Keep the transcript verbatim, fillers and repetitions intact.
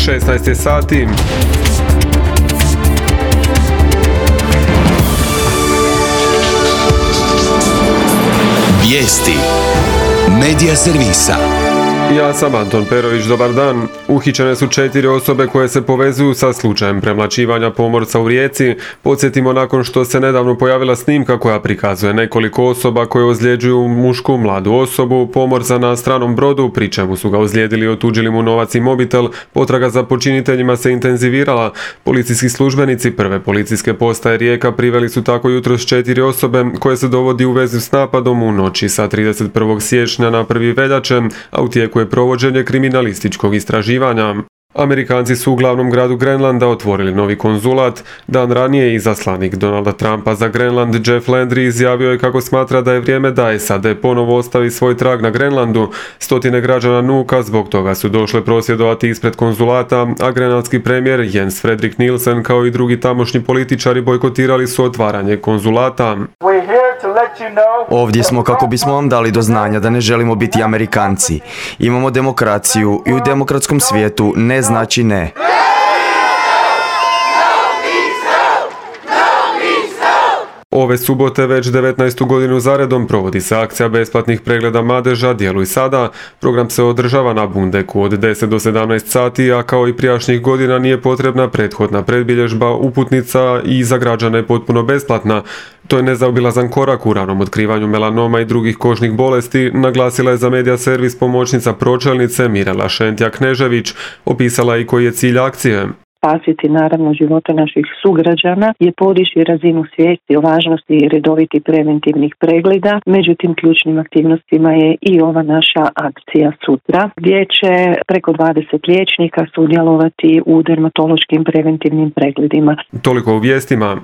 šesnaest je sati. Vijesti Medija servisa. Ja sam Anton Perović, dobar dan. Uhićene su četiri osobe koje se povezuju sa slučajem premlaćivanja pomorca u Rijeci. Podsjetimo, nakon što se nedavno pojavila snimka koja prikazuje nekoliko osoba koje ozljeđuju mušku mladu osobu, pomorca na stranom brodu, pri čemu su ga ozlijedili i otuđili mu novac i mobitel, potraga za počiniteljima se intenzivirala. Policijski službenici prve policijske postaje Rijeka priveli su tako jutros četiri osobe koje se dovodi u vezi s napadom u noći sa trideset prvog siječnja na prvi veljače, a u tijeku je provođenje kriminalističkog istraživanja. Amerikanci su u glavnom gradu Grenlanda otvorili novi konzulat. Dan ranije izaslanik Donalda Trumpa za Grenland Jeff Landry izjavio je kako smatra da je vrijeme da S A D ponovo ostavi svoj trag na Grenlandu. Stotine građana Nuuka zbog toga su došle prosvjedovati ispred konzulata, a grenlandski premijer Jens Fredrik Nielsen kao i drugi tamošnji političari bojkotirali su otvaranje konzulata. Ovdje smo kako bismo vam dali do znanja da ne želimo biti Amerikanci. Imamo demokraciju i u demokratskom svijetu ne znači ne. Ove subote već devetnaestu godinu zaredom provodi se akcija besplatnih pregleda madeža Djeluj sada. Program se održava na Bundeku od deset do sedamnaest sati, a kao i prijašnjih godina nije potrebna prethodna predbilježba, uputnica i za građane potpuno besplatna. To je nezaobilazan korak u ranom otkrivanju melanoma i drugih kožnih bolesti, naglasila je za Medija servis pomoćnica pročelnice Mirela Šentja-Knežević. Opisala i koji je cilj akcije. Spasiti naravno živote naših sugrađana je podići razinu svijesti o važnosti redovitih preventivnih pregleda. Međutim, ključnim aktivnostima je i ova naša akcija sutra, gdje će preko dvadeset liječnika sudjelovati u dermatološkim preventivnim pregledima. Toliko u vijestima.